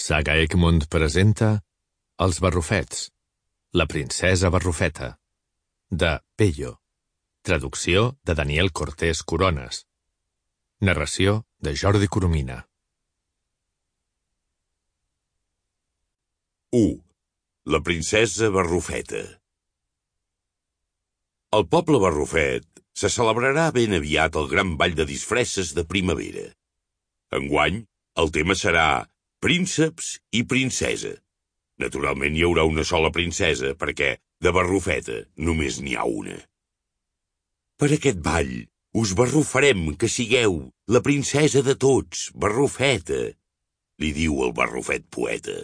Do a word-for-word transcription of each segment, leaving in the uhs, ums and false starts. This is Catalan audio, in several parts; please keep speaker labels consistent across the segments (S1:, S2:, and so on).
S1: Saga Egmont presenta Els Barrufets, la princesa Barrufeta, de Pello. Traducció de Daniel Cortés Corones. Narració de Jordi Coromina.
S2: u. La princesa Barrufeta. Al poble Barrufet se celebrarà ben aviat el gran ball de disfresses de primavera. Enguany, el tema serà prínceps i princesa. Naturalment hi haurà una sola princesa, perquè de Barrufeta només n'hi ha una. Per aquest ball us barrufarem que sigueu la princesa de tots, Barrufeta, li diu el Barrufet poeta.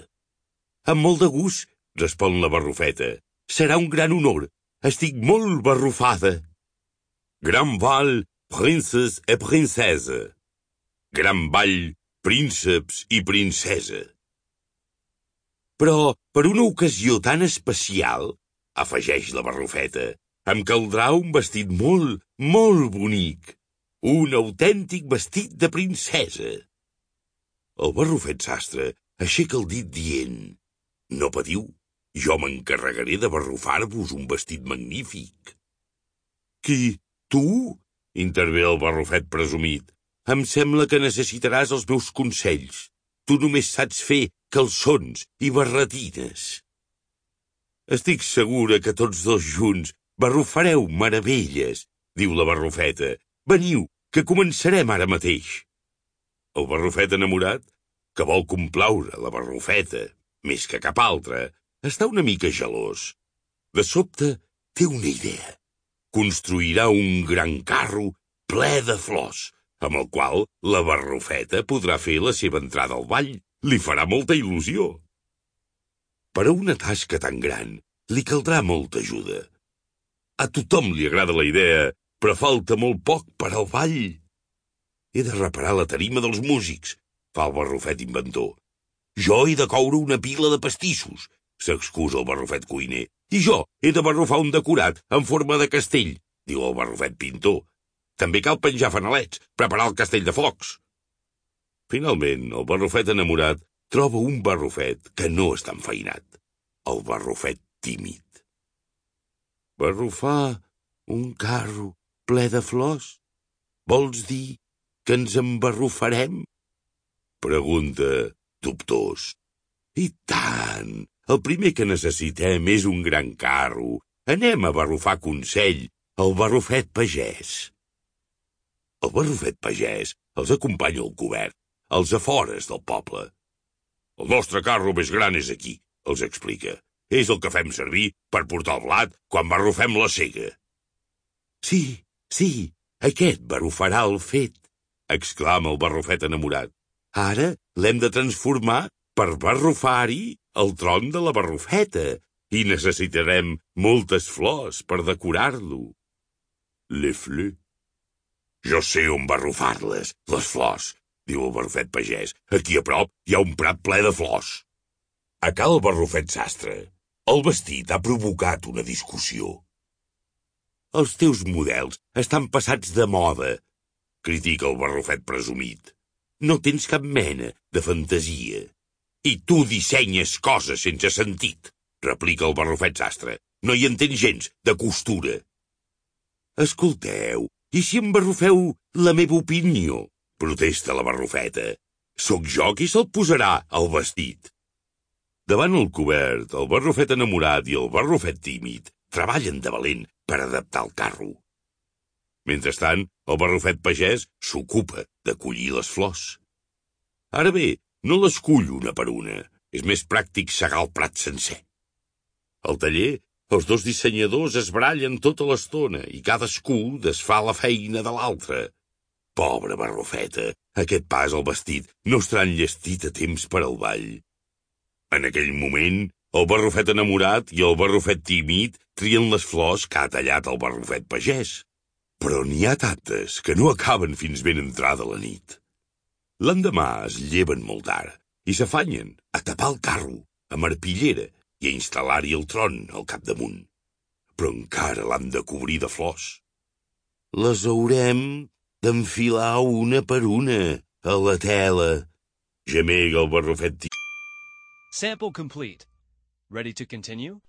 S2: Amb molt de gust, respon la Barrufeta. Serà un gran honor. Estic molt barrufada. Gran ball, princes et princesa. Gran ball, prínceps i princesa. Però, per una ocasió tan especial, afegeix la Barrufeta, em caldrà un vestit molt, molt bonic. Un autèntic vestit de princesa. El Barrufet sastre aixeca el dit dient: no patiu, jo m'encarregaré de barrufar-vos un vestit magnífic. Qui, tu? Intervé el Barrufet presumit. Em sembla que necessitaràs els meus consells. Tu només saps fer calçons i barretines. Estic segura que tots dos junts barrufareu meravelles, diu la Barrufeta. Veniu, que començarem ara mateix. El Barrufet enamorat, que vol complaure la Barrufeta més que cap altre, està una mica gelós. De sobte, té una idea. Construirà un gran carro ple de flors, amb el qual la Barrufeta podrà fer la seva entrada al ball. Li farà molta il·lusió. Per a una tasca tan gran, li caldrà molta ajuda. A tothom li agrada la idea, però falta molt poc per al ball. He de reparar la tarima dels músics, fa el Barrufet inventor. Jo he de coure una pila de pastissos, s'excusa el Barrufet cuiner. I jo he de barrufar un decorat en forma de castell, diu el Barrufet pintor. També cal penjar fanalets, preparar el castell de focs. Finalment, el Barrufet enamorat troba un Barrufet que no està enfeinat. El Barrufet tímid. Barrufar un carro ple de flors? Vols dir que ens embarrufarem? Pregunta dubtós. I tant! El primer que necessitem és un gran carro. Anem a barrufar Consell, el Barrufet pagès. El Barrufet pagès els acompanya al cobert, als afores del poble. El nostre carro més gran és aquí, els explica. És el que fem servir per portar el blat quan barrufem la sega. Sí, sí, aquest barrufarà el fet, exclama el Barrufet enamorat. Ara l'hem de transformar per barrufar-hi el tron de la Barrufeta i necessitarem moltes flors per decorar-lo. Les fleurs? Jo sé on barrufar-les, les flors, diu el Barrufet pagès. Aquí a prop hi ha un prat ple de flors. A cal Barrufet sastre, el vestit ha provocat una discussió. Els teus models estan passats de moda, critica el Barrufet presumit. No tens cap mena de fantasia. I tu dissenyes coses sense sentit, replica el Barrufet sastre. No hi entens gens de costura. Escolteu, i si em barrufeu la meva opinió? Protesta la Barrufeta. Soc jo qui se'l posarà al vestit. Davant el cobert, el Barrufet enamorat i el Barrufet tímid treballen de valent per adaptar el carro. Mentrestant, el Barrufet pagès s'ocupa de collir les flors. Ara bé, no les cull una per una. És més pràctic segar el prat sencer. Al taller, els dos dissenyadors es barallen tota l'estona i cadascú desfà la feina de l'altre. Pobra Barrufeta, aquest pas al vestit no estarà enllestit a temps per al ball. En aquell moment, el Barrufet enamorat i el Barrufet tímid trien les flors que ha tallat el Barrufet pagès. Però n'hi ha tantes que no acaben fins ben entrada la nit. L'endemà es lleven molt tard i s'afanyen a tapar el carro amb arpillera i a instal·lar-hi el tron al capdamunt. Però encara l'han de cobrir de flors. Les haurem d'enfilar una per una a la tela, gemega el Barrufet tímid.
S3: Sample complete. Ready to continue?